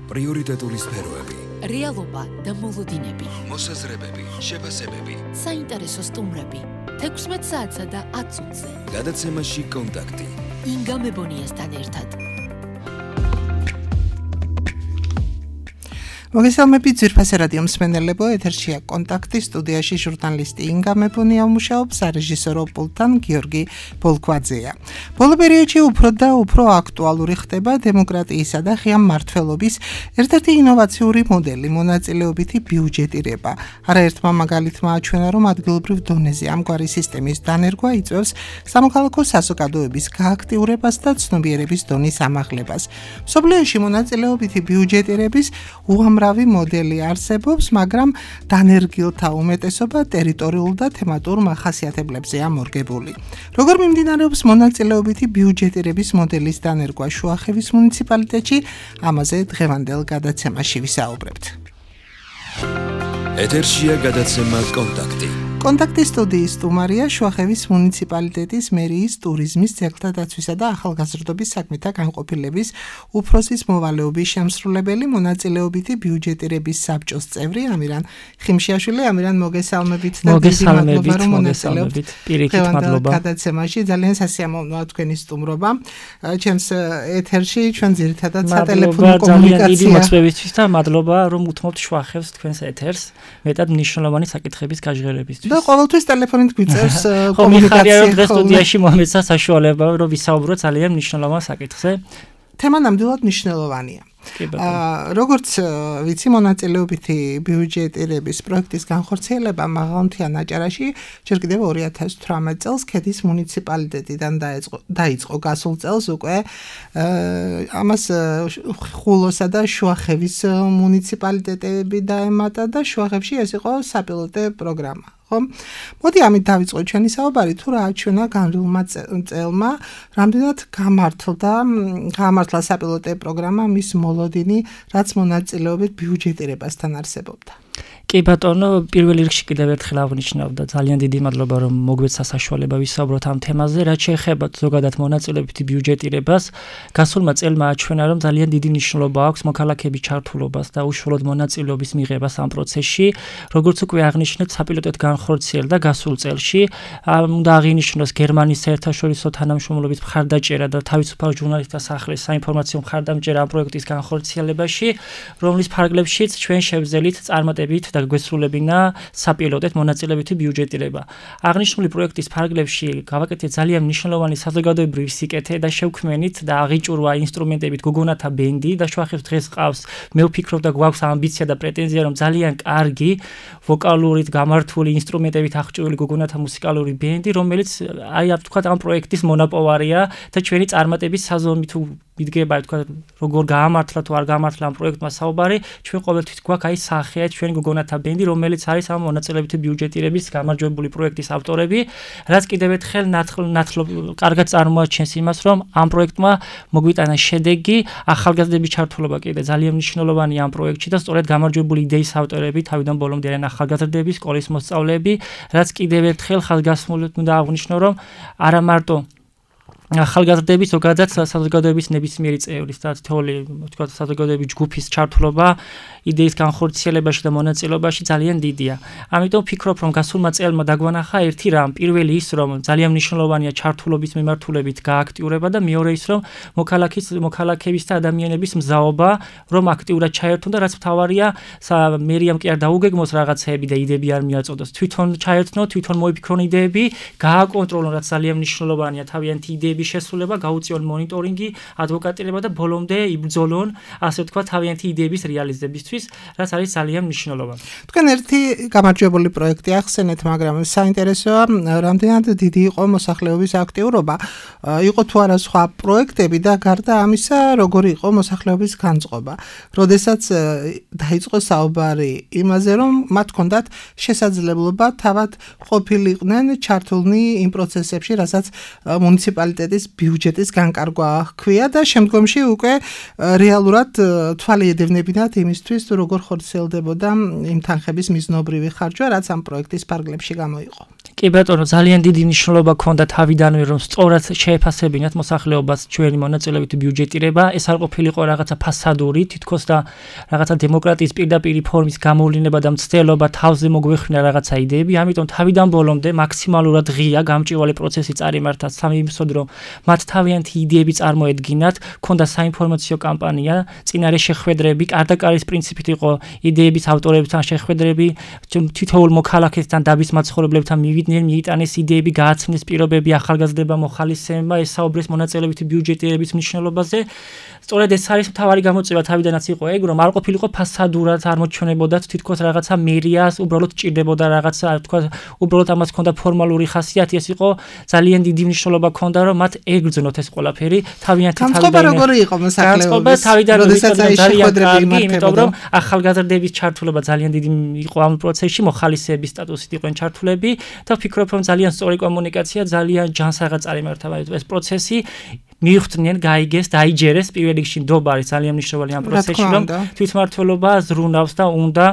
პრიორიტეტული სფეროები, რეალობა და მოლოდინები, მოსაზრებები, შეფასებები, საინტერესო სტუმრები, 16 საათსა და 10 წუთზე. გადაცემაში კონტაქტი. ინგა მებონიასთან ერთად. მოგესალმებით ძვირფასი რადიო მსმენელებო, ეთერშია კონტაქტი, სტუდიაში ჟურნალისტი ინგა მებონია მუშაობს, სარეჟისორო პულტთან გიორგი ბოლქვაძეა. ბოლო პერიოდში უფრო და უფრო აქტუალური ხდება დემოკრატიისა და ღია მმართველობის ერთ-ერთი ინოვაციური მოდელი, მონაწილეობითი ბიუჯეტირება. არაერთმა მაგალითმა აჩვენა, რომ ადგილობრივ დონეზე ამგვარი სისტემის დანერგვა იწვევს სამოქალაქო საზოგადოების გააქტიურებას და ცნობიერების დონის ამაღლებას. მსოფლიოში მონაწილეობითი ბიუჯეტირების უამრავი მოდელი არსებობს, მაგრამ დანერგილთა უმეტესობა ტერიტორიულ და თემატურ მახასიათებლებზეა მორგებული. როგორ მიმდინარეობს მონაწილეობითი ბიუჯეტირების მოდელის დანერგვა შუახევის მუნიციპალიტეტში, ამაზე დღევანდელ გადაცემაში ვისაუბრებთ. ეთერშია გადაცემა კონტაქტი. კონტაქტის სტუდიის სტუმარია შუახევის მუნიციპალიტეტის მერიის ტურიზმის, ძეგლთა დაცვისა და ახალგაზრდობის საქმეთა განყოფილების უფროსის მოვალეობის შემსრულებელი, მონაწილეობითი ბიუჯეტირების საბჭოს წევრი ამირან ხიმშიაშვილი. ამირან, მოგესალმებით და დიდი მადლობა, რომ მონაწილეობთ. პირიქით მადლობა. გადაცემაში ძალიან სასიამოვნოა თქვენი სტუმრობა. ჩემს ეთერში ჩვენ ძირითადად სატელეფონო კომუნიკაცია. დიდი მოწვევისთვის და მადლობა, რომ უთმობთ შუახევს თქვენს ეთერს, მეტად მნიშვნელოვანი საკითხების გაჟღერებისთვის. და ყოველთვის ტელეფონით გვიწევს კომუნიკაცია. რომ დღეს სტუდიაში მომეცა საშუალება, რომ ვისაუბროთ ძალიან მნიშვნელოვან საკითხზე. თემა ნამდვილად მნიშვნელოვანია. როგორც ვიცი, მონაწილეობითი ბიუჯეტირების პროექტის განხორციელება მაღალმთიან აჭარაში ჯერ კიდევ 2018 წელს ქედის მუნიციპალიტეტიდან დაიწყო. გასულ წელს უკვე ამას ხულოსა და შუახევის მუნიციპალიტეტები დაემატა და შუახევში ეს იყო საპილოტო პროგრამა. მოდი ამით დავიწყოთ ჩვენი საუბარი, თუ რა აჩვენა განვლილმა წელმა, რამდენად გამართლა საპილოტო პროგრამა, მის მოლოდინი, რაც მონაწილეობით ბიუჯეტირებასთან არსებობდა. კი ბატონო, პირველ რიგში კიდევ ერთხელ აღნიშნავ და ძალიან დიდი მადლობა, რომ მოგვეცა საშუალება ვისაუბროთ ამ თემაზე, რაც შეეხება ზოგადად მონაწილეობითი ბიუჯეტირებას. გასულმა წელმა აჩვენა, რომ ძალიან დიდი მნიშვნელობა აქვს მოქალაქეების ჩართულობას და უშუალოდ მონაწილეობის მიღებას ამ პროცესში. როგორც უკვე აღნიშნეთ, საპილოტოდ განხორციელდა გასულ წელში. უნდა აღინიშნოს გერმანიის საერთაშორისო თანამშრომლობის მხარდაჭერა და თავისუფალ ჟურნალისტთა სახლის საინფორმაციო მხარდამჭერა ამ პროექტის განხორციელებაში, რომლის ფარგლებშიც ჩვენ შევძელით წარმატებით და გვესრულებინა საპილოტოდ მონაწილეობითი ბიუჯეტირება. აღნიშნული პროექტის ფარგლებში გავაკეთეთ ძალიან მნიშვნელოვანი საზოგადოებრივი სიკეთე და შევქმნით და აღიჭურვა ინსტრუმენტებით გოგონათა ბენდი და შუახევს დღეს ყავს. მე ვფიქრობ და გვაქვს ამბიცია და პრეტენზია, რომ ძალიან კარგი ვოკალურით გამართული ინსტრუმენტებით აღჭურვილი გოგონათა მუსიკალური ბენდი, რომელიც ვთქვათ ამ პროექტის მონაპოვარია და ჩვენი წარმატების საზომი თუ მიდგება, ვთქვათ, როგორ გაამართლა თუ არ გაამართლა ამ პროექტმა საუბარი, ჩვენ ყოველთვის გვაქვს აი სახეა ჩვენი გოგონათა ბენდი, რომელიც არის ამ მონაწილეობითი ბიუჯეტირების გამარჯვებული პროექტის ავტორები, რაც კიდევ ერთხელ კარგად წარმოაჩენს იმას, რომ ამ პროექტმა მოგვიტანა შედეგი, ახალგაზრდების ჩართულობა კიდე ძალიან მნიშვნელოვანია ამ პროექტში და სწორედ გამარჯვებული იდეის ავტორები თავიდან ბოლომდე არიან ახალგაზრდები, სკოლის მოსწავლეები, რაც კიდევ ერთხელ ხაზგასმულად უნდა აღვნიშნო, რომ არა მარტო ახალგაზრდების, ზოგადად საზოგადოების ნებისმიერი წევრის და თითოეული, ვთქვათ, საზოგადოების ჯგუფის ჩართულობა იდეის განხორციელებაში და მონაწილეობაში ძალიან დიდია. ამიტომ ვფიქრობ, რომ გასულმა წელმა დაგვანახა ერთი რამ, პირველი ის, რომ ძალიან მნიშვნელოვანია ჩართულობის მიმართულებით გააქტიურება და მეორე ის, რომ მოქალაქეების და ადამიანების მზაობა, რომ აქტიურად ჩაერთონ და რაც მთავარია, მერიამ კი არ დაუგეგმოს რაღაცეები და იდეები არ მიაწოდოს. თვითონ ჩაერთნო, თვითონ მოიფიქრონ იდეები, გააკონტროლონ, რაც ძალიან მნიშვნელოვანია, თავიანთი იდეების შესრულება, გაუწიონ მონიტორინგი, ადვოკატირება და ბოლომდე იბრძოლონ, ასე ვთქვათ, თავიანთი იდეების რეალიზებისთვის, რაც არის ძალიან მნიშვნელოვანი. თქვენ ერთი გამარჯვებული პროექტი ახსენეთ, მაგრამ საინტერესოა, რამდენად დიდი იყო მოსახლეობის აქტიურობა, იყო თუ არა სხვა პროექტები და გარდა ამისა, როგორი იყო მოსახლეობის განწყობა. როდესაც დაიწყო საუბარი იმაზე, რომ მათ ჰქონდათ შესაძლებლობა თავად ყოფილიყვნენ ჩართულნი იმ პროცესებში, რასაც მუნიციპალიტეტის ბიუჯეტის განკარგვა ჰქვია და შემდგომში უკვე რეალურად თვალი ედევნებინათ იმისთვის, როგორ ხორციელდებოდა იმ თანხების მიზნობრივი ხარჯვა, რაც ამ პროექტის ფარგლებში გამოიყო. კი ბატონო, ძალიან დიდი მნიშვნელობა ჰქონდა თავიდანვე, რომ სწორად შეეფასებინათ მოსახლეობას ჩვენი მონაწილეობითი ბიუჯეტირება. ეს არ ყოფილიყო რაღაცა ფასადური, თითქოს და რაღაცა დემოკრატიის პირდაპირ ფორმის გამოვლინება და მცდელობა თავზე მოგვეხვინა რაღაცა იდეები. ამიტომ თავიდან ბოლომდე მაქსიმალურად ღია გამჭვირვალე პროცესი წარიმართა სამიმსოდ, რომ მათ თავიანთი იდეები წარმოედგინათ, ჰქონდა საინფორმაციო კამპანია, წინარე შეხვედრები, კარდაკარის პრინციპით იყო იდეების ავტორებთან შეხვედრები, თითოეულ მოქალაქესთან დაბის მაცხოვრებლებთან მიიტანეს იდეები, გააცნეს პირობები ახალგაზრდება მოხალისეებმა, ესაუბრეს მონაწილეობითი ბიუჯეტირების მნიშვნელობაზე. სწორედ ეს არის მთავარი გამოწვევა თავიდანაც იყო ეგ, რომ არ ყოფილიყო ფასადურად წარმოჩვენებოდათ თითქოს რაღაცა მერიას, უბრალოდ ჭირდებოდა რაღაცა, თქვა, უბრალოდ ამას ჰქონდა ფორმალური ხასიათი, ეს იყო ძალიან დიდი მნიშვნელობა ჰქონდა, რომ მათ ეგრძნოთ ეს ყველაფერი, თავიანთი განწყობა როგორი იყო მოსახლეობის? როდესაც აი შეხვედრები იმართებოდა, იმიტომ რომ ახალგაზრდების ჩართულობა ძალიან დიდი იყო ამ პროცესში, მოხალისეების სტატუსით იყვნენ ჩართულები და ვფიქრობ, რომ ძალიან სწორი კომუნიკაცია, ძალიან ჯანსაღად წარიმართა ეს პროცესი. მიხვდნენ, გაიგეს, დაიჯერეს პირველ რიგში ნდობა არის ძალიან მნიშვნელოვანი ამ პროცესში, რომ თვითმმართველობა ზრუნავს და უნდა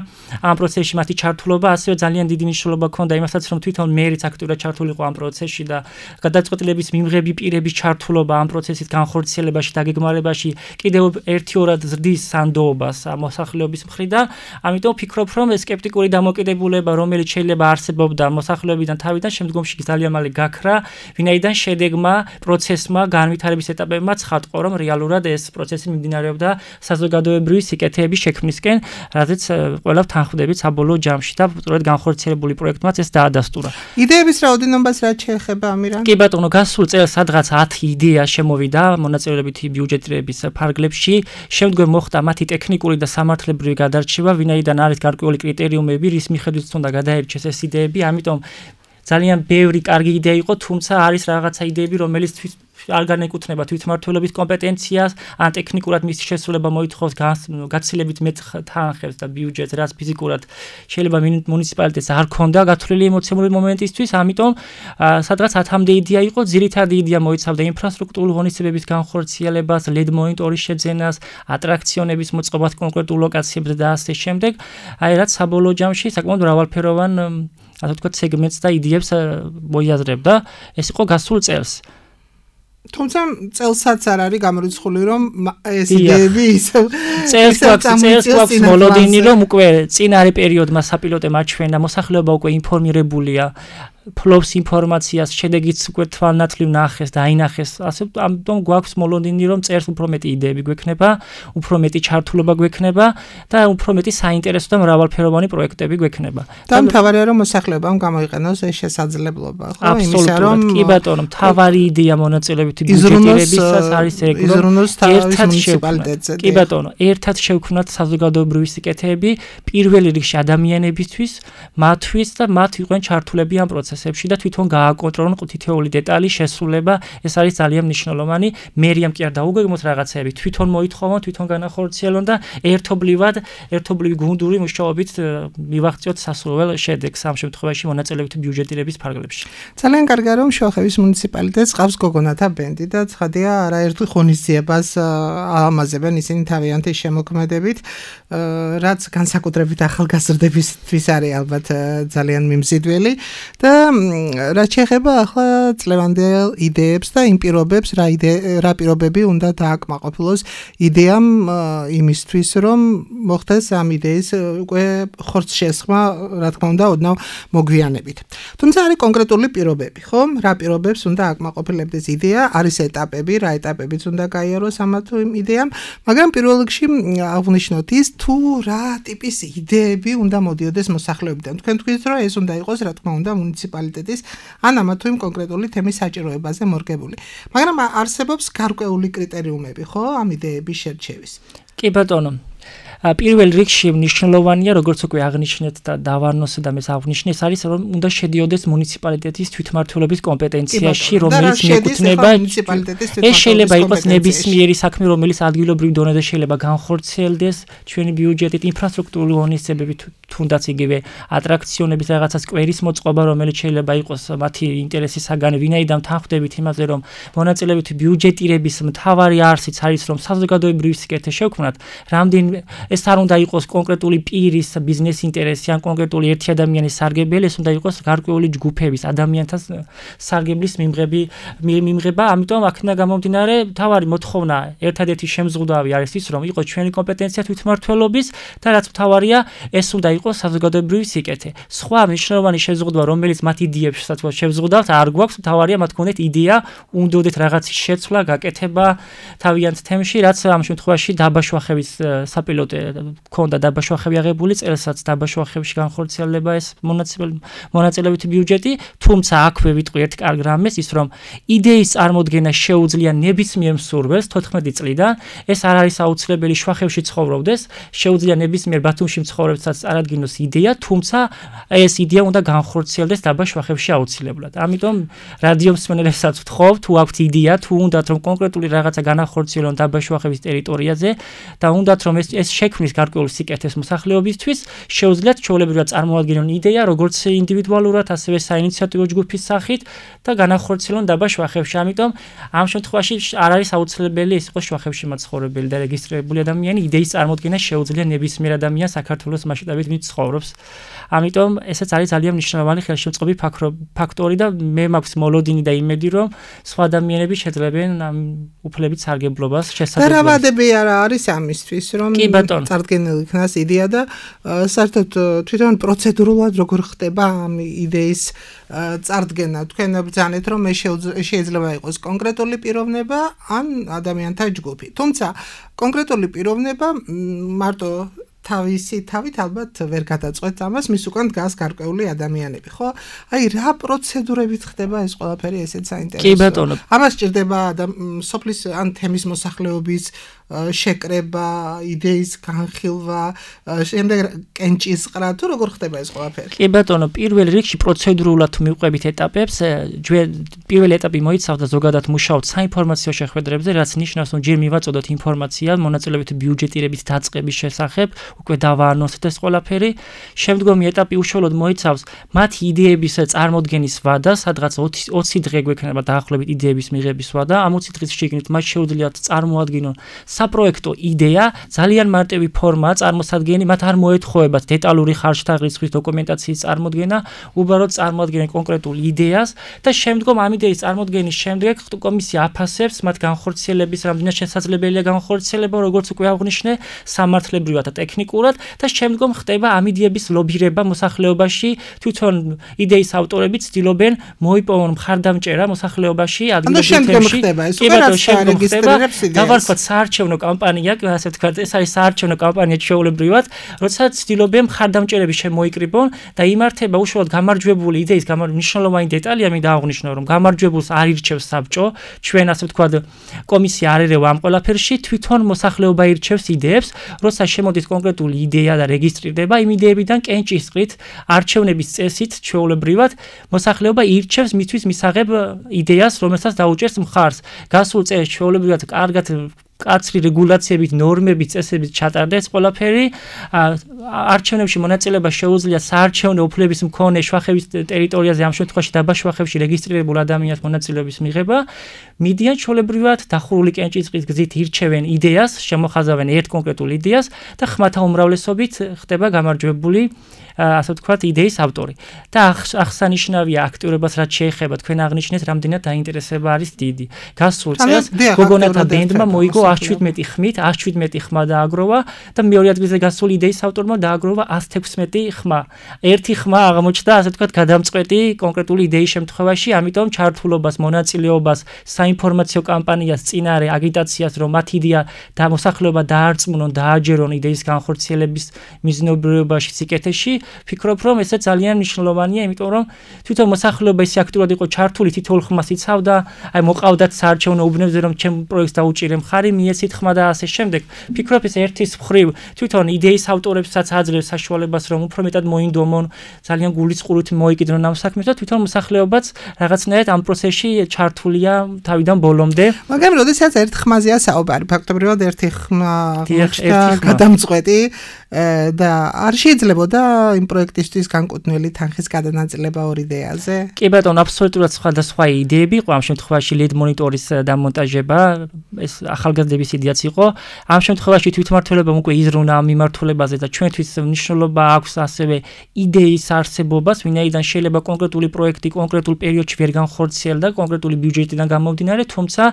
ამ პროცესში მათი ჩართულობა, ასევე ძალიან დიდი მნიშვნელობა ჰქონდა იმასაც, რომ თვითონ მერიც აქტიურად ჩართულიყო ამ პროცესში და გადაწყვეტილების მიმღები პირების ჩართულობა ამ პროცესის განხორციელებაში, დაგეგმარებაში კიდევ ერთიორად ზრდის სანდოობას მოსახლეობის მხრიდან. ამიტომ ვფიქრობ, რომ ეს სკეპტიკური დამოკიდებულება, რომელიც შეიძლება არსებობდა მოსახლეობიდან თავიდან, შემდგომში ძალიან მალე გაქრა, ვინაიდან შედეგმა, პროცესმა, განვითარების ეტაპებმა ცხადყო, რომ რეალურად ეს პროცესი მიმდინარეობდა საზოგადოებრივი სიკეთეების შექმნისკენ, რადგან ყველა თანხმდებით საბოლოო ჯამში და სწორედ განხორციელებული პროექტმაც ეს დაადასტურა. იდეების რაოდენობას რაც შეეხება ამირან? კი ბატონო, გასულ წელს სადღაც 10 იდეა შემოვიდა მონაწილეობითი ბიუჯეტირების ფარგლებში. შემდგომ მოხდა მათი ტექნიკური და სამართლებრივი გადარჩევა, ვინაიდან არის გარკვეული კრიტერიუმები, რის მიხედვით უნდა გადაერჩეს ეს იდეები, ამიტომ ძალიან ბევრი კარგი იდეა იყო, თუმცა არის რაღაცა იდეები, რომელიც არ განეკუთვნება თვითმმართველობის კომპეტენციას, ან ტექნიკურად მისი შესრულება მოითხოვს გაცილებით მეტ თანხებს და ბიუჯეტს, რაც ფიზიკურად შეიძლება მუნიციპალიტეტს არ ქონდა გათვლილი ემოციური მომენტისთვის, ამიტომ სადღაც 10-მდე იდეა იყო, ძირითადი იდეა მოიცავდა ინფრასტრუქტურული ღონისძიებების განხორციელებას, LED მონიტორის შეძენას, ატრაქციონების მოწყობას კონკრეტულ ლოკაციებზე და ასე შემდეგ. აი რაც საბოლოო ჯამში საკმაოდ მრავალფეროვან ასე ვთქვათ სეგმენტს და იდეებს მოიაზრებდა. ეს იყო გასულ წელს. თუმცა წელსაც არ არის გამორიცხული, რომ ეს იდეები ისევ წელს გვაქვს მოლოდინი, რომ უკვე წინარე პერიოდმა საპილოტე მაჩვენა, მოსახლეობა უკვე ინფორმირებულია, ფლობს ინფორმაციას, შედეგიც უკვე თვალნათლივ ნახეს და აინახეს. ასე ამიტომ გვაქვს მოლოდინი, რომ წერს უფრო მეტი იდეები გვექნება, უფრო მეტი ჩართულობა გვექნება და უფრო მეტი საინტერესო და მრავალფეროვანი პროექტები გვექნება. და მთავარია რომ მოსახლეობამ გამოიყენოს ეს შესაძლებლობა, ხო? იმისა რომ კი ბატონო, მთავარი იდეა მონაწილეობითი ბიუჯეტირებისას არის ეგ, რომ ერთად შევქმნათ. კი ბატონო, ერთად შევქმნათ საზოგადოებრივი სიკეთეები პირველ რიგში ადამიანებისთვის, მათთვის და მათ იყვნენ ჩართულები ამ პროცესებში და თვითონ გააკონტროლონ თითოეული დეტალი, შესრულება, ეს არის ძალიან მნიშვნელოვანი. მერიამ კი არ დაუგეგმოთ რაღაცეები, თვითონ მოითხოვონ, თვითონ განახორციელონ და ერთობლივი გუნდური მუშაობით მივაღწიოთ სასურველ შედეგს ამ შემთხვევაში მონაწილეობითი ბიუჯეტირების ფარგლებში. ძალიან კარგია რომ შუახევის მუნიციპალიტეტს ყავს გოგონათა ბენდი და ცხადია არაერთი ღონისძიებას ამაზებენ ისინი თავიანთი შემოქმედებით, რაც განსაკუთრებით ახალგაზრდებისთვის არის ალბათ ძალიან მიმზიდველი და რაც შეეხება ახლა წლევანდელ იდეებს და იმ პირობებს, რა პირობები უნდა დააკმაყოფილოს იდეამ იმისთვის, რომ მოხდეს ამ იდეის უკვე ხორცშესხმა, რა თქმა უნდა, ოდნავ მოგვიანებით. თუმცა არის კონკრეტული პირობები, ხო? რა პირობებს უნდა აკმაყოფილებდეს იდეა, არის ეტაპები, რა ეტაპებიც უნდა გაიაროს ამა თუ იმ იდეამ, მაგრამ პირველ რიგში აღნიშნოთ ის, თუ რა ტიპის იდეები უნდა მოდიოდეს მოსახლეობიდან. თქვენ თქვით, რომ ეს უნდა იყოს, რა თქმა უნდა, მუნიციპალიტეტის ან ამა თუ იმ კონკრეტული თემის საჭიროებაზე მორგებული. მაგრამ არსებობს გარკვეული კრიტერიუმები, ხო, ამ იდეების შერჩევის. კი ბატონო. პირველ რიგში მნიშვნელოვანია, როგორც უკვე აღნიშნეთ და დავარნოს და მე აღნიშნე, ეს არის რომ უნდა შედიოდეს მუნიციპალიტეტის თვითმმართველობის კომპეტენციაში, რომელიც მიეკუთვნება ეს შეიძლება იყოს ნებისმიერი საქმე, რომელიც ადგილობრივ დონეზე შეიძლება განხორციელდეს ჩვენი ბიუჯეტით, ინფრასტრუქტურული ღონისძიებები, თუნდაც იგივე ატრაქციონების რაღაცა სკვერის მოწყობა, რომელიც შეიძლება იყოს მათი ინტერესის საგანი, ვინაიდან თანხმდებით იმაზე, რომ მონაწილეობითი ბიუჯეტირების მთავარი არსიც არის, რომ საზოგადოებრივი სიკეთე შევქმნათ, რამდენ ეს არ უნდა იყოს კონკრეტული პირის ბიზნეს ინტერესი ან კონკრეტული ერთი ადამიანის სარგებელი, ეს უნდა იყოს გარკვეული ჯგუფების ადამიანთა სარგებლის მიმღება, ამიტომ აქედან გამომდინარე თავარი მოთხოვნა ერთადერთი შემზღუდავი არის ის, რომ იყოს ჩვენი კომპეტენცია თვითმმართველობის და რაც მთავარია, ეს უნდა იყოს საზოგადოებრივი სიკეთე. სხვა მნიშვნელოვანი შეზღუდვა, რომელიც მათ იდეებსაც შევზღუდავთ, არ გვაქვს, მთავარია მათ გქონდეთ იდეა, უნდოდეთ რაღაცის შეცვლა, გაკეთება თავიანთ თემში, რაც ამ შემთხვევაში დაბაშვახების საპილოტე ქონდა დაბაშვახები აღებული, წელსაც დაბაშვახებში განხორციელდება ეს მონაწილეობითი ბიუჯეტი, თუმცა აქვე ვიტყვი ერთ კარგ რამეს, ის რომ იდეის წარმოდგენა შეუძლია ნებისმიერ მსურველს 14 წლიდან, ეს არ არის აუცილებელი შვახებში ცხოვრობდეს, შეუძლია ნებისმიერ ბათუმში მცხოვრებსაც წარადგინოს იდეა, თუმცა ეს იდეა უნდა განხორციელდეს დაბაშვახებში აუცილებლად. ამიტომ რადიო მსმენელებსაც ვთხოვ, თუ აქვთ იდეა, თუ უნდათ რომ კონკრეტული რაღაცა განახორციელონ დაბაშვახების ტერიტორიაზე და უნდათ რომ ეს შექმნის გარკვეული სიკეთეს მოსახლეობისთვის, შეუძლიათ ჩვეულებრივად წარმოადგინონ იდეა, როგორც ინდივიდუალურად, ასევე საინიციატივო ჯგუფის სახით და განახორციელონ დაბაშვახებში. ამიტომ ამ შემთხვევაში არ არის აუცილებელი ის იყოს შვახებში მაცხოვრებელი და რეგისტრირებული ადამიანი, იდეის წარმოდგენა შეუძლია ნებისმიერ ადამიანს საქართველოს მასშტაბით ვინც ცხოვრობს. ამიტომ ესეც არის ძალიან მნიშვნელოვანი ხელშემწყობი ფაქტორი და მე მაქვს მოლოდინი და იმედი, რომ სხვა ადამიანები შეძლებენ ამ უფლებით სარგებლობას შესაძლებლად. და რა ვადები არა არის ამისთვის, რომ წარდგენილი იქნას იდეა და საერთოდ თვითონ პროცედურულად როგორ ხდება ამ იდეის წარდგენა. თქვენ ბრძანეთ, რომ შეიძლება იყოს კონკრეტული პიროვნება ან ადამიანთა ჯგუფი. თუმცა კონკრეტული პიროვნება მარტო თავისი თავით ალბათ ვერ გადაწყვეტს ამას, მის უკან დგას გარკვეული ადამიანები, ხო? აი რა პროცედურებით ხდება ეს ყველაფერი, ესეც საინტერესოა. კი ბატონო. ამას ჭირდება სოფლის ან თემის მოსახლეობის შეკრება, იდეის განხილვა, შემდეგ კენჭისყრა, თუ როგორ ხდება ეს ყველაფერი? კი ბატონო, პირველ რიგში პროცედურულად თუ მივყვებით ეტაპებს, პირველი ეტაპი მოიცავდა ზოგადად მუშაობთ საინფორმაციო შეხვედრებზე, რაც ნიშნავს, რომ ჯერ მივაწოდოთ ინფორმაცია მონაწილეობითი ბიუჯეტირების დაწყების შესახებ, უკვე დავაანონსეთ ეს ყველაფერი. შემდგომი ეტაპი უშუალოდ მოიცავს მათი იდეების წარმოდგენის ვადა, სადღაც 20 დღე გვექნება დაახლოებით იდეების მიღების ვადა. ამ 20 დღის შიგნით მათ შეუძლიათ წარმოადგინონ საპროექტო იდეა, ძალიან მარტივი ფორმაა წარმოსადგენი, მათ არ მოეთხოვებათ დეტალური ხარჯთა რიცხვის დოკუმენტაციის წარმოდგენა, უბრალოდ წარმოადგენენ კონკრეტულ იდეას და შემდგომ ამ იდეის წარმოდგენის შემდეგ კომისია აფასებს მათ განხორციელების რამდენად შესაძლებელია განხორციელება, როგორც უკვე აღვნიშნე, სამართლებრივად და ტექნიკურად და შემდგომ ხდება ამ იდეების ლობირება მოსახლეობაში, თვითონ იდეის ავტორები ცდილობენ მოიპოვონ მხარდამჭერა მოსახლეობაში, ადგილობრივ თემში. დავარქვათ საარჩევნო კამპანია, ასე ვთქვათ, ეს არის საარჩევნო კამპანია ჩვეულებრივად, როცა ცდილობენ მხარდამჭერები შემოიკრიბონ და იმართება უშუალოდ გამარჯვებული იდეის მნიშვნელოვანი დეტალია მინდა აღვნიშნო, რომ გამარჯვებულს არ ირჩევს საბჭო, ჩვენ ასე ვთქვათ, კომისია არ ერევა ამ ყველაფერში, თვითონ მოსახლეობა ირჩევს იდეებს, როცა შემოდის კონკრეტული იდეა და რეგისტრირდება, იმ იდეებიდან კენჭისყრით, არჩევნების წესით ჩვეულებრივად მოსახლეობა ირჩევს მისთვის მისაღებ იდეას, რომელსაც დაუჭერს მხარს. გასულ წელს ჩვეულებრივად კარგად კაცრი რეგულაციებით, ნორმებით, წესებით ჩატარდა ეს ყველაფერი. არჩევნებში მონაწილეობა შეუძლია საარჩევნო უფლების მქონე შვახების ტერიტორიაზე, ამ შემთხვევაში დაბაშვახებში რეგისტრირებულ ადამიანს მონაწილეობის მიღება. მიდიან ჩვეულებრივად დახურული კენჭისყრის გზით ირჩევენ იდეას, შემოხაზავენ ერთ კონკრეტულ იდეას და ხმათა უმრავლესობით ხდება გამარჯვებული ასე ვთქვათ, იდეის ავტორი. და აღსანიშნავია აქტიურობას რაც შეეხება თქვენ აღნიშნეთ, რამდენად დაინტერესება არის დიდი. გასულ წელს გოგონათა ბენდმა მოიგო 117 ხმით, 117 ხმა დააგროვა და მეორე ადგილზე გასული იდეის ავტორმა დააგროვა 116 ხმა. ერთი ხმა აღმოჩნდა, ასე ვთქვათ, გადამწყვეტი კონკრეტული იდეის შემთხვევაში, ამიტომ ჩართულობას, მონაწილეობას, საინფორმაციო კამპანიას, წინარე აგიტაციას, რომ მათ იდეა და მოსახლეობა დაარწმუნონ, დააჯერონ იდეის განხორციელების მიზნობრიობაში, სიკეთეში. ფიქრობ, რომ ესე ძალიან მნიშვნელოვანია, იმიტომ რომ თვითონ მოსახლეობა ისე აქტიურად იყო ჩართული, თითოეულ ხმას იცავდა, აი მოყავდათ საარჩევნო უბნებზე, რომ ჩემ პროექტს დაუჭირე მხარი, მიეცით ხმა და ასე შემდეგ. ფიქრობ, ეს ერთის მხრივ თვითონ იდეის ავტორებსაც აძლევს საშუალებას, რომ უფრო მეტად მოინდომონ, ძალიან გულისყურით მოიკიდრონ ამ საქმეს და თვითონ მოსახლეობაც რაღაცნაირად ამ პროცესში ჩართულია თავიდან ბოლომდე. მაგრამ როდესაც ერთ ხმაზეა საუბარი, ფაქტობრივად ერთი ხმა გადამწყვეტი და არ შეიძლებოდა იმ პროექტისთვის განკუთვნილი თანხის გადანაწილება ორ იდეაზე? კი ბატონო, აბსოლუტურად სხვადასხვა იდეები იყო ამ შემთხვევაში ლედ მონიტორის დამონტაჟება, ეს ახალგაზრდა ახალგაზრდების იდეაც იყო. ამ შემთხვევაში თვითმმართველობამ უკვე იზრუნა ამ მიმართულებაზე და ჩვენთვის მნიშვნელობა აქვს ასევე იდეის არსებობას, ვინაიდან შეიძლება კონკრეტული პროექტი კონკრეტულ პერიოდში ვერ განხორციელდა კონკრეტული ბიუჯეტიდან გამომდინარე, თუმცა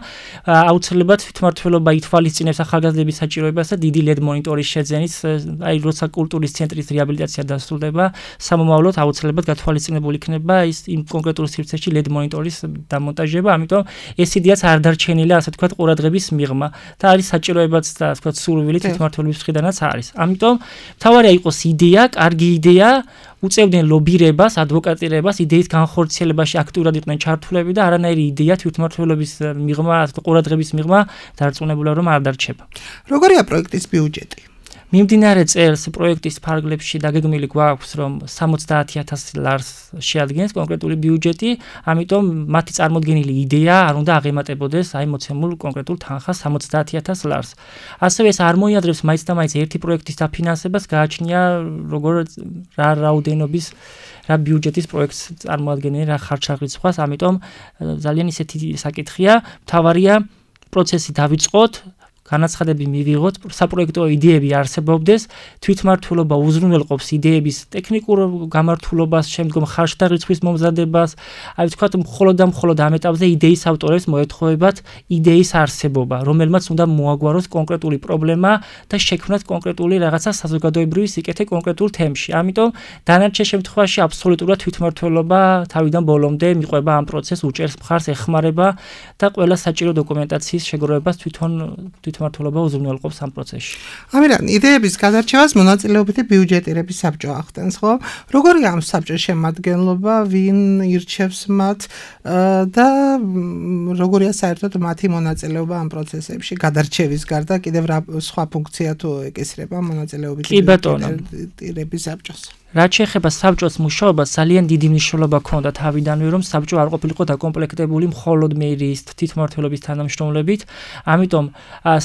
აუცილებლად თვითმმართველობა ითვალისწინებს ახალგაზრდების საჭიროებას და დიდი LED მონიტორის შეძენის, აი როცა კულტურის ცენტრის რეაბილიტაცია დასრულდება, სამომავლოდ აუცილებლად გათვალისწინებული იქნება ის იმ კონკრეტულ სივრცეში LED მონიტორის დამონტაჟება, ამიტომ ეს იდეაც არ დარჩენილა, ასე ვთქვათ, ყურადღების მიღმა და არის საჭიროებაც და ასე ვთქვათ, სურვილი თვითმმართველობის მხრიდანაც არის. ამიტომ მთავარია იყოს იდეა, კარგი იდეა, უწევდნენ ლობირებას, ადვოკატირებას, იდეის განხორციელებაში აქტიურად იყვნენ ჩართულები და არანაირი იდეა თვითმმართველობის მიღმა, ყურადღების მიღმა დარწმუნებულა რომ არ დარჩება. როგორია პროექტის ბიუჯეტი? მიმდინარე წელს პროექტის ფარგლებში დაგეგმილი გვაქვს რომ 70000 ლარს შეადგენს კონკრეტული ბიუჯეტი, ამიტომ მათი წარმოდგენილი იდეა არ უნდა აღემატებოდეს აი მოცემულ კონკრეტულ თანხას 70000 ლარს. ასევე ეს არ მოიაზრებს მაინც და მაინც ერთი პროექტის დაფინანსებას, გააჩნია როგორ რა რაოდენობის რა ბიუჯეტის პროექტს წარმოადგენენ, რა ხარჯ-აღრიცხვას, ამიტომ ძალიან ისეთი საკითხია, მთავარია პროცესი დავიწყოთ, განაცხადები მივიღოთ, საპროექტო იდეები არსებობდეს, თვითმმართველობა უზრუნველყოფს იდეების ტექნიკურ გამართულობას, შემდგომ ხარჯ-აღრიცხვის მომზადებას, აი ვთქვათ, მხოლოდ ამ ეტაპზე იდეის ავტორებს მოეთხოვებათ იდეის არსებობა, რომელმაც უნდა მოაგვაროს კონკრეტული პრობლემა და შექმნათ კონკრეტული რაღაცა საზოგადოებრივი სიკეთე კონკრეტულ თემში. ამიტომ დანარჩენ შემთხვევაში აბსოლუტურად თვითმმართველობა თავიდან ბოლომდე მიყვება ამ პროცესს, უჭერს მხარს, ეხმარება და ყველა საჭირო დოკუმენტაციის შეგროვებას თვითმმართველობა უზრუნველყოფს ამ პროცესში. ამიტომ იდეების გადარჩევას მონაწილეობითი ბიუჯეტირების საბჭო ახდენს, ხო? როგორია ამ საბჭოს შემადგენლობა, ვინ ირჩევს მათ და როგორია საერთოდ მათი монაწილეობა ამ პროცესებში გადარჩევის გარდა კიდევ რა სხვა ფუნქცია თუ ეკისრება მონაწილეობითი ბიუჯეტირების საბჭოს? რაც შეეხება საბჭოს მუშაობას, ძალიან დიდი მნიშვნელობა ჰქონდა თავიდანვე, რომ საბჭო არ ყოფილიყო დაკომპლექტებული მხოლოდ მერიის თვითმმართველობის თანამშრომლებით, ამიტომ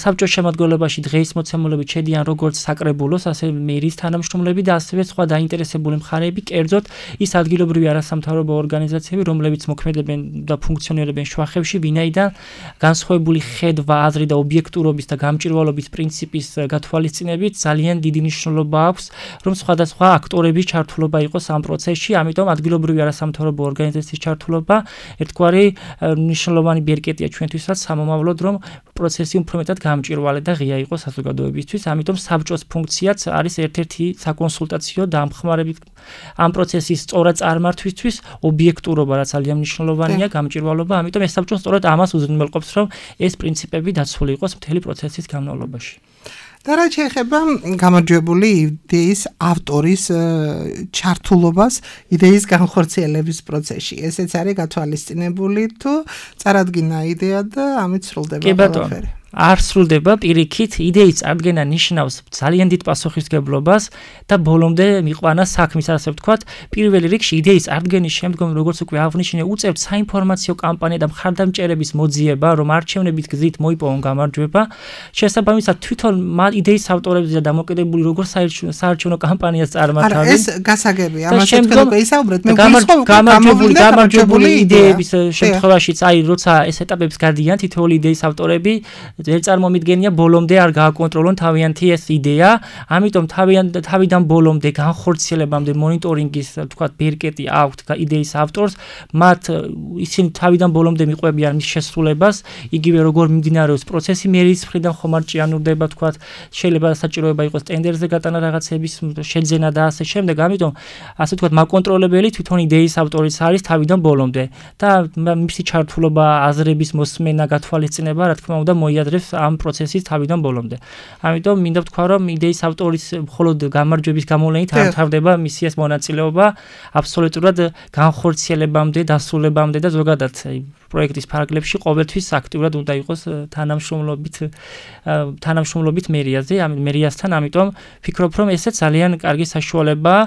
საბჭოს შემადგენლობაში დღეის მოცემულობით შედიან როგორც საკრებულოს, ასე მერიის თანამშრომლები და ასევე სხვა დაინტერესებული მხარეები, კერძოდ ის ადგილობრივი არასამთავრობო ორგანიზაციები, რომლებიც მოქმედებენ და ფუნქციონირებენ შუახევში, ვინაიდან განსხვავებული ხედვა, აზრი და ობიექტურობის და გამჭირვალობის პრინციპის გათვალისწინებით ძალიან დიდი მნიშვნელობა აქვს, რომ სხვადასხვა აქტორები ჩართულობა იყოს ამ პროცესში, ამიტომ ადგილობრივი არასამთავრობო ორგანიზაციის ჩართულობა ერთგვარი მნიშვნელოვანი ბერკეტია ჩვენთვისაც, სამომავლოდ რომ პროცესი უფრო მეტად გამჭირვალე და ღია იყოს საზოგადოებისთვის, ამიტომ საბჭოს ფუნქციაც არის ერთ-ერთი საკონსულტაციო დამხმარებით ამ პროცესის სწორად წარმართვისთვის, ობიექტურობა რაც ძალიან მნიშვნელოვანია, გამჭირვალობა, ამიტომ ეს საბჭო სწორად ამას უზრუნველყოფს, რომ ეს პრინციპები დაცული იყოს მთელი პროცესის განმავლობაში. და რაც შეეხება გამარჯვებული იდეის ავტორის ჩართულობას იდეის განხორციელების პროცესში, ესეც არის გათვალისწინებული თუ წარადგინა იდეა და ამით სრულდება ყველაფერი? არ სრულდება პირიქით, იდეის წარდგენა ნიშნავს ძალიან დიდ პასუხისმგებლობას და ბოლომდე მიყვანა საქმის, ასე ვთქვათ, პირველ რიგში იდეის წარდგენის შემდგომ, როგორც უკვე აღნიშნე, უწევთ საინფორმაციო კამპანია და მხარდამჭერების მოძიება, რომ არჩევნებით გზით მოიპოვონ გამარჯვება. შესაბამისად, თვითონ იდეის ავტორებზე და დამოკიდებული როგორ საარჩევნო კამპანიას წარმართავენ. ეს გასაგებია, ამაზე თქვენ უკვე ისაუბრეთ, მე გამარჯვებული იდეების შემთხვევაშიც, აი, როცა ეს ეტაპებს გადიან თითოეული იდეის ავტორები ვერ წარმომიდგენია ბოლომდე არ გააკონტროლონ თავიანთი ეს იდეა, ამიტომ თავიდან ბოლომდე განხორციელებამდე მონიტორინგის, თქვათ, ბერკეტი აქვთ იდეის ავტორს, მათ ისინი თავიდან ბოლომდე მიყვებიან მის შესრულებას, იგივე როგორ მიმდინარეობს პროცესი მერიის მხრიდან ხომ არ ჭიანურდება, თქვათ, შეიძლება საჭიროება იყოს ტენდერზე გატანა რაღაცების შეძენა და ასე შემდეგ, ამიტომ ასე ვთქვათ, მაკონტროლებელი თვითონ იდეის ავტორიც არის თავიდან ბოლომდე და მისი ჩართულობა, აზრების მოსმენა, გათვალისწინება, რა თქმა უნდა, მოიაზრებს ამ პროცესის თავიდან ბოლომდე. ამიტომ მინდა ვთქვა, რომ იდეის ავტორის მხოლოდ გამარჯვების გამოვლენით არ თავდება მისი ეს მონაწილეობა აბსოლუტურად განხორციელებამდე, დასრულებამდე და ზოგადად პროექტის ფარგლებში ყოველთვის აქტიურად უნდა იყოს თანამშრომლობით მერიაზე, მერიასთან, ამიტომ ვფიქრობ, რომ ესეც ძალიან კარგი საშუალებაა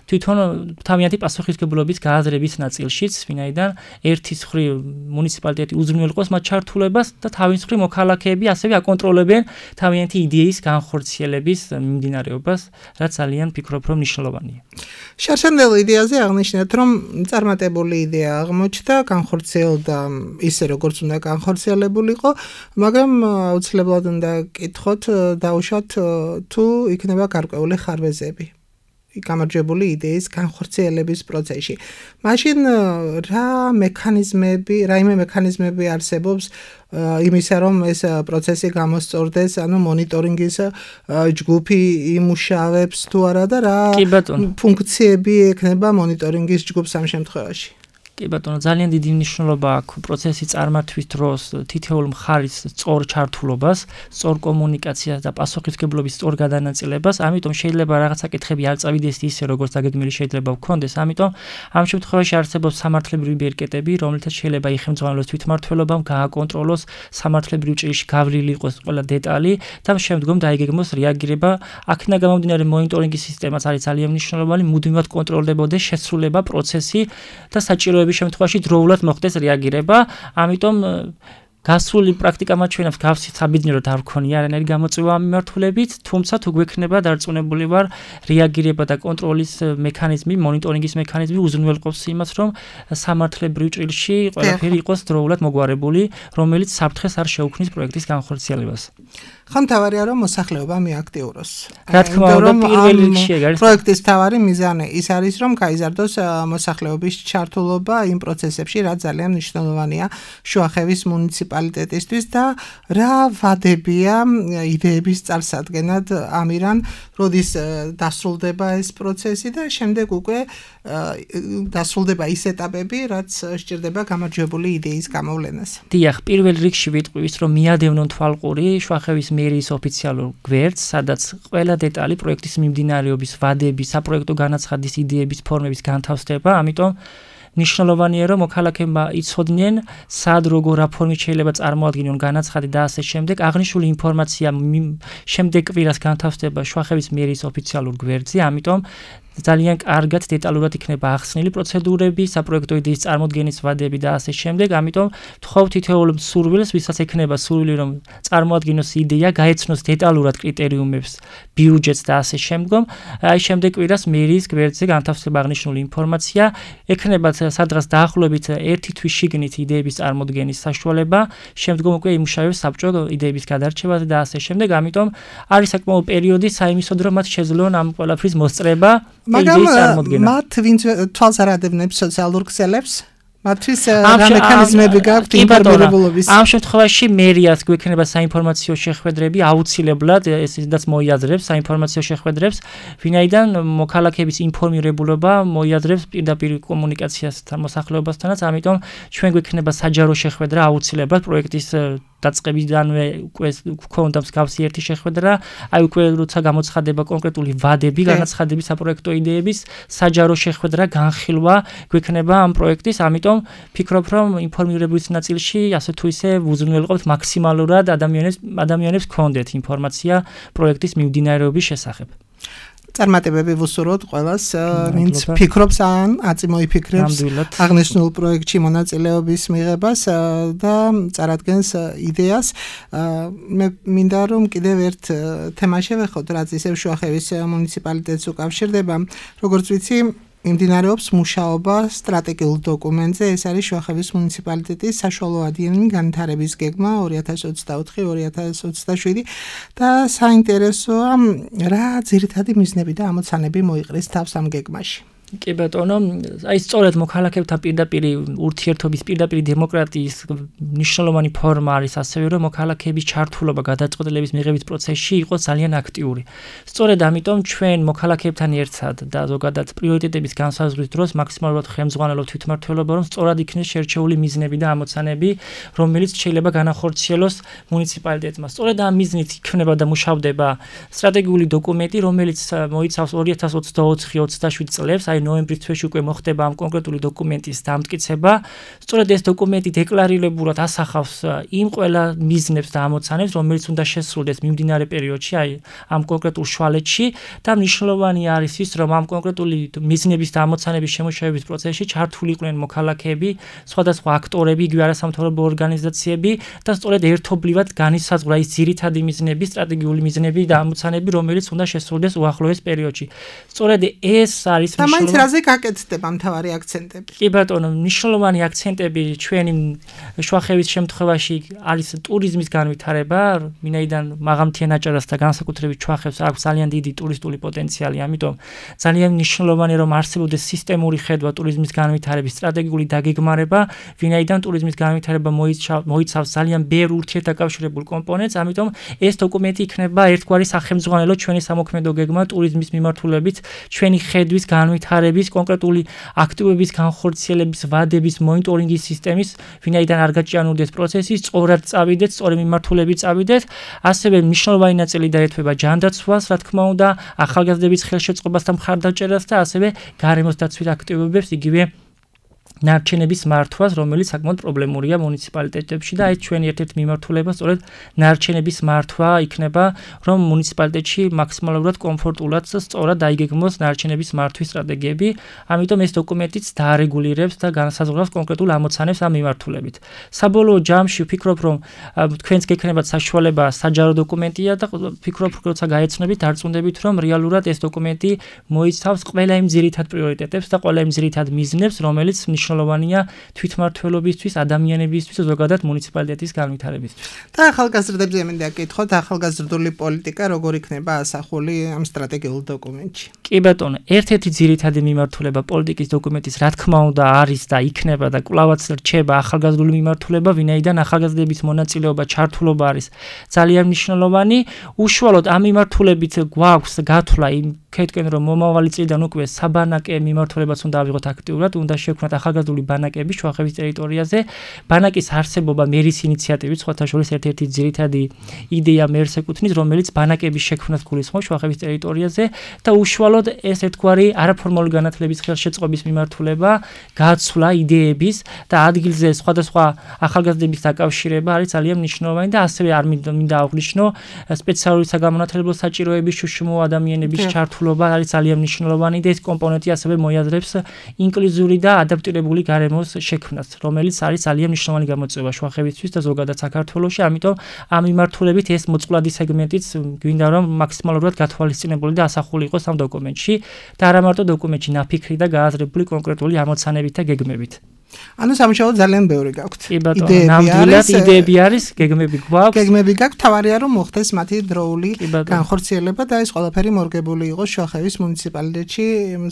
თვითონ თავიანთი პასუხისმგებლობის გააზრების ნაწილშიც, ვინაიდან ერთის მხრივ მუნიციპალიტეტი უზრუნველყოფს მათ ჩართულებას და თავის მხრივ მოქალაქეები მოქალაქეები ასევე აკონტროლებენ თავიანთი იდეის განხორციელების მიმდინარეობას, რაც ძალიან ფიქრობ, რომ მნიშვნელოვანია. შარშანდელ იდეაზე აღნიშნეთ, რომ წარმატებული იდეა აღმოჩნდა, განხორციელდა ისე როგორც უნდა განხორციელებულიყო, მაგრამ აუცილებლად უნდა კითხოთ, დაუშვათ თუ იქნება გარკვეული ხარვეზები გამარჯვებული იდეის განხორციელების პროცესში. მაშინ რაიმე მექანიზმები არსებობს იმისა, რომ ეს პროცესი გამოსწორდეს, ანუ მონიტორინგის ჯგუფი იმუშავებს თუ არა და რა ფუნქციები ექნება მონიტორინგის ჯგუფს ამ შემთხვევაში. კი ბატონო, ძალიან დიდი მნიშვნელობა აქვს პროცესის წარმართვის დროს თითოეულ მხარის სწორ ჩართულობას, სწორ კომუნიკაციას და პასუხისმგებლობის სწორ გადანაწილებას, ამიტომ შეიძლება რაღაც საკითხები არ წავიდეს ისე, როგორც დაგეგმილი შეიძლება გქონდეს, ამიტომ ამ შემთხვევაში არსებობს სამართლებრივი ბერკეტები, რომელთაც შეიძლება იხელმძღვანელოს თვითმმართველობამ გააკონტროლოს სამართლებრივ ჭრილში გავლილი იყოს ყველა დეტალი და შემდგომ დაიგეგმოს რეაგირება. აქედან გამომდინარე მონიტორინგის სისტემაც არის ძალიან მნიშვნელოვანი, მუდმივად კონტროლდებოდეს შესრულება, პროცესი და საჭიროების შემთხვევაში დროულად მოხდეს რეაგირება. ამიტომ გასული პრაქტიკა მათ ჩვენებს გავსით საბედნიეროდ არ ვქონია არანაირი გამოწვევა ამ მიმართულებით, თუმცა თუ გვექნება დარწმუნებული ვარ, რეაგირება და კონტროლის მექანიზმი, მონიტორინგის მექანიზმი უზრუნველყოფს იმას, რომ სამართლებრივ ჭრილში ყველაფერი იყოს დროულად მოგვარებული, რომელიც საფრთხეს არ შეუქმნის პროექტის განხორციელებას. ხომ თავარია რომ მოსახლეობა მიაქტიუროს. რა თქმა უნდა, პირველ რიგში ეგ არის პროექტის თავარი მიზანი ის არის, რომ გაიზარდოს მოსახლეობის ჩართულობა იმ პროცესებში, რაც ძალიან მნიშვნელოვანია შუახევის მუნიციპალიტეტისთვის და რა ვადებია იდეების წარსადგენად ამირან, როდის დასრულდება ეს პროცესი და შემდეგ უკვე დასრულდება ის ეტაპები, რაც სჭირდება გამარჯვებული იდეის გამოვლენას. დიახ, პირველ რიგში ვიტყვი ის, რომ მიადევნონ თვალყური შუახევის მერიის ოფიციალურ გვერდს, სადაც ყველა დეტალი პროექტის მიმდინარეობის, ვადების, საპროექტო განაცხადის, იდეების, ფორმების განთავსდება, ამიტომ მნიშვნელოვანია რომ მოქალაქეებმა იცოდნენ სად როგორ რა ფორმით შეიძლება წარმოადგინონ განაცხადი და ასე შემდეგ. აღნიშნული ინფორმაცია შემდეგ კვირას განთავსდება შუახევის მერიის ოფიციალურ გვერდზე, ამიტომ ძალიან კარგად დეტალურად იქნება ახსნილი პროცედურები, საპროექტო იდეის წარმოდგენის ვადები და ასე შემდეგ. ამიტომ ვთხოვ თითოეულ მსურვილს, ვისაც ექნება სურვილი რომ წარმოადგინოს იდეა, გაეცნოს დეტალურად კრიტერიუმებს, ბიუჯეტს და ასე შემდგომ. აი შემდეგ კვირას მერიის გვერდზე განთავსდება აღნიშნული ინფორმაცია, ექნებათ სადღაც დაახლოებით 1 თვის შიგნით იდეების წარმოდგენის საშუალება, შემდგომ უკვე იმუშავებს საბჭო იდეების გადარჩევაზე და ასე შემდეგ. ამიტომ არის საკმაო პერიოდი საიმისოდ რომ მათ შეძლონ ამ ყველაფრის მოსწრება. მაგრამ მათ ვინც თვალს არ ადევნებს სოციალურ ქსელებს მათთვის რა მექანიზმები გაქვთ ინფორმირებულობის? ამ შემთხვევაში მერიას გვექნება საინფორმაციო შეხვედრები, აუცილებლად ესეც მოიაზრებს საინფორმაციო შეხვედრებს, ვინაიდან მოქალაქეების ინფორმირებულობა მოიაზრებს პირდაპირ კომუნიკაციას მოსახლეობასთანაც, ამიტომ ჩვენ გვექნება საჯარო შეხვედრა აუცილებლად პროექტის დაწყებიდანვე უკვე გვქონდა მსგავსი ერთი შეხვედრა, აი უკვე როცა გამოცხადება კონკრეტული ვადები, განაცხადების საპროექტო იდეების, საჯარო შეხვედრა, განხილვა გვექნება ამ პროექტის, ამიტომ ფიქრობ რომ ინფორმირებულის ნაწილში ასე თუ ისე უზრუნველყოფთ მაქსიმალურად ადამიანებს გქონდეთ ინფორმაცია პროექტის მიმდინარეობის შესახებ. წარმატებები ვუსურვოთ ყველას, ვინც ფიქრობს ან აწმოიფიქრებს აღნიშნულ პროექტში მონაწილეობის მიღებას და წარადგენს იდეას. მე მინდა რომ კიდევ ერთ თემა შევეხოთ, რაც ისევ შუახევის მუნიციპალიტეტს უკავშირდება, როგორც ვიცი, მიმდინარეობს მუშაობა სტრატეგიულ დოკუმენტზე, ეს არის შუახევის მუნიციპალიტეტის საშუალო ადიანი განვითარების გეგმა 2024-2027 და საინტერესოა რა ძირითადი მიზნები და ამოცანები მოიყრეს თავს ამ გეგმაში. კი ბატონო, აი სწორედ მოქალაქეებთან პირდაპირ ურთიერთობის, პირდაპირ დემოკრატიის მნიშვნელოვანი ფორმა არის ასევე რომ მოქალაქეების ჩართულობა გადაწყვეტილების მიღების პროცესში იყოს ძალიან აქტიური. სწორედ ამიტომ ჩვენ მოქალაქეებთან ერთად და ზოგადად პრიორიტეტების განსაზღვრის დროს მაქსიმალურად ხელმძღვანელობთ თვითმმართველობა რომ სწორად იქნეს შერჩეული მიზნები და ამოცანები, რომელიც შეიძლება განახორციელოს მუნიციპალიტეტმა. სწორედ ამ მიზნით იქნება და მუშავდება სტრატეგიული დოკუმენტი, რომელიც მოიცავს 2024-27 წლებს, აი ნოემბრის თვეში უკვე მოხდება ამ კონკრეტული დოკუმენტის დამტკიცება. სწორედ ეს დოკუმენტი დეკლარირებულად ასახავს იმ ყველა მიზნებს და ამოცანებს, რომელიც უნდა შესრულდეს მიმდინარე პერიოდში, აი ამ კონკრეტულ შვალეთში და მნიშვნელოვანი არის ის, რომ ამ კონკრეტული მიზნების და ამოცანების შემოშევების პროცესში ჩართული იყვნენ მოქალაქეები, სხვადასხვა აქტორები, იგივე არასამთავრობო ორგანიზაციები და სწორედ ერთობლივად განისაზღვრა ის ძირითადი მიზნები, სტრატეგიული მიზნები და ამოცანები, რომელიც უნდა შესრულდეს უახლოეს პერიოდში. სწორედ ეს არის და მაინც რაზე გაკეთდება მთავარი აქცენტები? კი ბატონო, მნიშვნელოვანი აქცენტები ჩვენი შუახევის შემთხვევაში არის ტურიზმის განვითარება, ვინაიდან მაღალმთიან აჭარას და განსაკუთრებით შუახევს აქვს ძალიან დიდი ტურისტული პოტენციალი, ამიტომ ძალიან მნიშვნელოვანია რომ არსებობდეს სისტემური ხედვა ტურიზმის განვითარების სტრატეგიული დაგეგმარება, ვინაიდან ტურიზმის განვითარება მოიცავს ძალიან ბევრ ურთიერთდაკავშირებულ კომპონენტს, ამიტომ ეს დოკუმენტი იქნება ერთგვარი სახელმძღვანელო ჩვენი სამოქმედო გეგმა ტურიზმის მიმართულებით, ჩვენი ხედვის განვითარების, კონკრეტული აქტივების განხორციელების, ვადების, მონიტორინგის სისტემის, ვინაიდან არ გაჭიანურდეს პროცესი, სწორად წავიდეთ, სწორი მიმართულებით წავიდეთ, ასევე მნიშვნელოვანი ნაწილი დაეთვება ჯანდაცვას, რა თქმა უნდა, ახალგაზრდების ხელშეწყობას და მხარდაჭერას და ასევე გარემოს დაცვით აქტივობებს, იგივე ნარჩენების მართვას, რომელიც საკმაოდ პრობლემურია მუნიციპალიტეტებში და აი ჩვენი ერთ-ერთი მიმართულება სწორედ ნარჩენების მართვა იქნება, რომ მუნიციპალიტეტში მაქსიმალურად კომფორტულად და სწორად დაიგეგმოს ნარჩენების მართვის სტრატეგიები, ამიტომ ეს დოკუმენტიც დაარეგულირებს და განსაზღვრავს კონკრეტულ ამოცანებს ამ მიმართულებით. საბოლოო ჯამში ვფიქრობ, რომ თქვენს გექნებათ საშუალება საჯარო დოკუმენტია და ვფიქრობ, როცა გაეცნობით, დარწმუნდებით, რომ რეალურად ეს დოკუმენტი მოიცავს ყველა იმ ძირითად პრიორიტეტებს და ყველა იმ ძირითად მიზნებს, რომელიც მნიშვნელოვანია თვითმმართველობისთვის, ადამიანებისთვის, ზოგადად მუნიციპალიტეტის განვითარებისთვის. და ახალგაზრდებზე მინდა გკითხოთ, ახალგაზრდული პოლიტიკა როგორ იქნება ასახული ამ სტრატეგიულ დოკუმენტში? კი ბატონო, ერთ-ერთი ძირითადი მიმართულება პოლიტიკის დოკუმენტის რა თქმა უნდა არის და იქნება და კვლავაც რჩება ახალგაზრდული მიმართულება, ვინაიდან ახალგაზრდების მონაწილეობა, ჩართულობა არის ძალიან მნიშვნელოვანი. უშუალოდ ამ მიმართულებით გვაქვს გათვლა იმ ქეთკენ რომ მომავალი წლიდან უკვე საბანაკე მიმართულებაც უნდა ავიღოთ აქტიურად, უნდა შევქმნათ ახალგაზრდული ბანაკები შუახევის ტერიტორიაზე. ბანაკის არსებობა მერის ინიციატივით, სხვათა შორის ერთ-ერთი ძირითადი იდეა მერს ეკუთვნის, რომელიც ბანაკების შექმნას გულისხმობს შუახევის ტერიტორიაზე და უშუალოდ ეს ერთგვარი არაფორმალური განათლების ხელშეწყობის მიმართულება, გაცვლა იდეების და ადგილზე სხვადასხვა ახალგაზრდების დაკავშირება არის ძალიან მნიშვნელოვანი და ასევე არ მინდა აღვნიშნო სპეციალური საგამონათლებლო საჭიროების შუშუმო ადამიანების ჩართულობა არის ძალიან მნიშვნელოვანი და ეს კომპონენტი ასევე მოიაზრებს ინკლუზიური და ადაპტირებული გარემოს შექმნას, რომელიც არის ძალიან მნიშვნელოვანი გამოწვევა შუახევისთვის და ზოგადად საქართველოში, ამიტომ ამ მიმართულებით ეს მოწყვლადი სეგმენტიც გვინდა რომ მაქსიმალურად გათვალისწინებული და ასახული იყოს ამ დოკუმენტში და არა მარტო დოკუმენტში, ნაფიქრი და გააზრებული კონკრეტული ამოცანებით და გეგმებით. ანუ სამშაბათ ძალიან ბევრი გაქვთ. იდეები არის, გეგმები გვაქვს. გეგმები გაქვთ, თავარია რომ მოხდეს მათი დროული განხორციელება და ეს ყველაფერი მორგებული იყოს შუახევის მუნიციპალიტეტში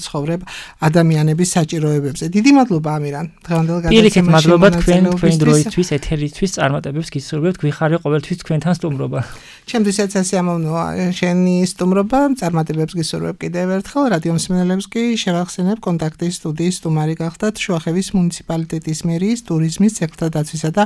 ცხოვრებ ადამიანების საჭიროებებზე. დიდი მადლობა ამირან. დღევანდელ გადაცემაში მადლობა თქვენ დროისთვის, ეთერისთვის წარმატებებს გისურვებთ, გვიხარია ყოველთვის თქვენთან სტუმრობა. ჩემთვისაც ასე ამოვნოა შენი სტუმრობა, წარმატებებს გისურვებ კიდევ ერთხელ. რადიო მსმენელებს კი შევახსენებ კონტაქტის სტუდიის სტუმარი გახდათ შუახევის მუნიციპალიტეტის მერიის ტურიზმის სექტორთა დაცვისა და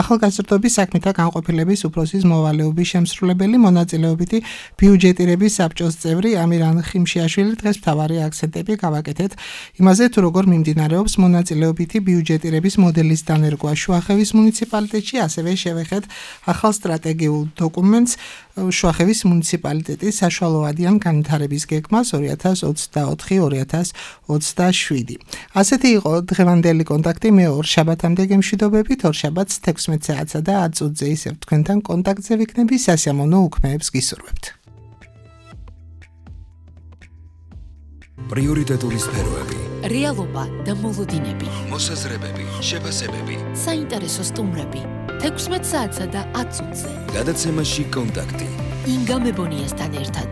ახალგაზრდობის საქმეთა განყოფილების უფროსის მოვალეობის შემსრულებელი, მონაწილეობითი ბიუჯეტირების საბჭოს წევრი ამირან ხიმშიაშვილი. დღეს მთავარი აქცენტები გავაკეთეთ იმაზე, თუ როგორ მიმდინარეობს მონაწილეობითი ბიუჯეტირების მოდელის დანერგვა შუახევის მუნიციპალიტეტში, ასევე შევეხეთ ახალ სტრატეგიულ დოკუმენტს შუახევის მუნიციპალიტეტის საშუალოადიან განვითარების გეგმას 2024-2027. ასეთი იყო დღევანდელი კონტაქტი. მე ორ შაბათამდე გემშვიდობებით, ორ შაბათს 16 საათსა და 10 წუთზე ისევ თქვენთან კონტაქტზე ვიქნები. სასიამოვნო უქმეებს გისურვებთ. პრიორიტეტული სფეროები, რეალობა და მოლოდინები, მოსაზრებები, შეფასებები, საინტერესო სტუმრები 16 საათსა და 10 წუთზე. გადაცემაში კონტაქტი. ინგა მებონიასთან ერთად.